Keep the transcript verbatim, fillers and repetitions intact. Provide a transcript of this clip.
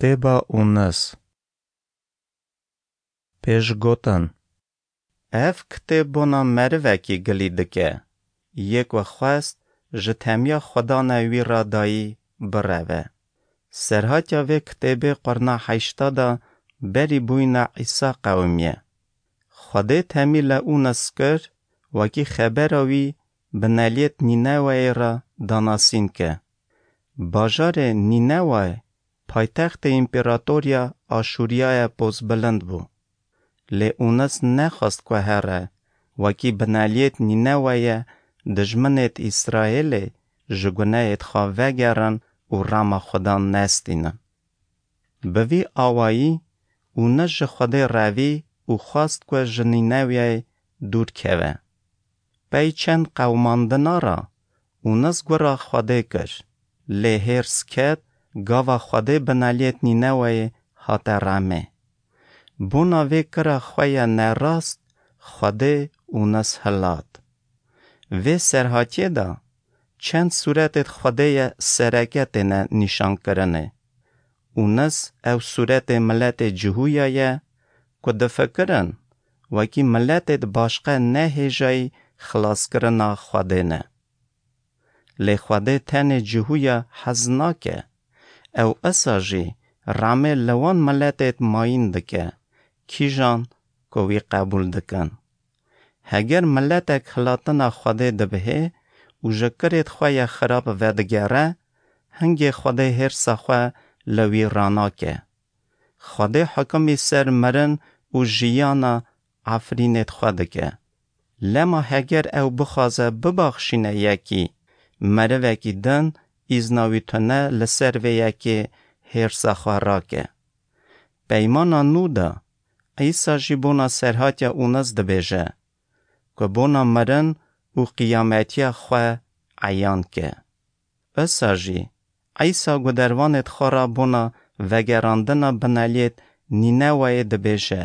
Kitêba Ûnis. Pêşgotin. Ev kitêb bona merivekî gilî dike, yê ku xwest ji temiya Xwedane wî re dayî bireve. Serhatiya vê kitêbê qurna heşta de berî bûyîna Îsa qewimiye. Xwedê temî li Ûnis kir, wekî xebera wî bineliyêt Nîneweyê re danasîn ke. Bajarê Nîneweyê paytextê împeratoriya Aşûriyaya pozbilind bû. Lê Ûnis nexwest ku here, wekî bineliyêt Nîneweyê dijminêt Îsraêlê ji gunehêt xwe vegerin û rema Xudan nestînin. Bi vî awayî Ûnis ji Xwedê revî û xwest ku ji Nîneweyê dûr keve. Pey çend qewimandina re Ûnis gura Xwedê kir, lê hêrs ket, gava Xwedê bineliyêt Nîneweyê hate remê. Bona vê kira xwe ya nerast Xwedê Ûnis hilat. Vê serhatiyê de çend sûretêt Xwedê ye sereke têne nîşankirinê. Ûnis ew sûretê miletê Cihûya ye ku difikirin wekî miletêt başqe ne hêjayî xilaskirina Xwedê ne. Lê Xwedê tenê Cihûya hez nake. Ew isa jî remê li wan miletêt mayîn dike, kîjan ku wî qebûl dikin. Heger miletek hilatina Xwedê dibihê û ji kirêt xwe ya xirab vedigere, hingê Xwedê hêrsa xwe li wî ranake. Xwedê hukimî ser mirin û jiyana efrînêt xwe dike. Lema heger ew bixwaze bibaxşîne yekî, merivekî din îzna wî tune li ser vê yekê hêrsa xwe rake. Peymana nû de Îsa jî bona serhatiya Ûnis dibêje, ku bona mirin û qiyametiya xwe eyan ke. Isa jî Îsa gudervanêt xwe re bona vegerandina bineliyêt Nîneweyê dibêje,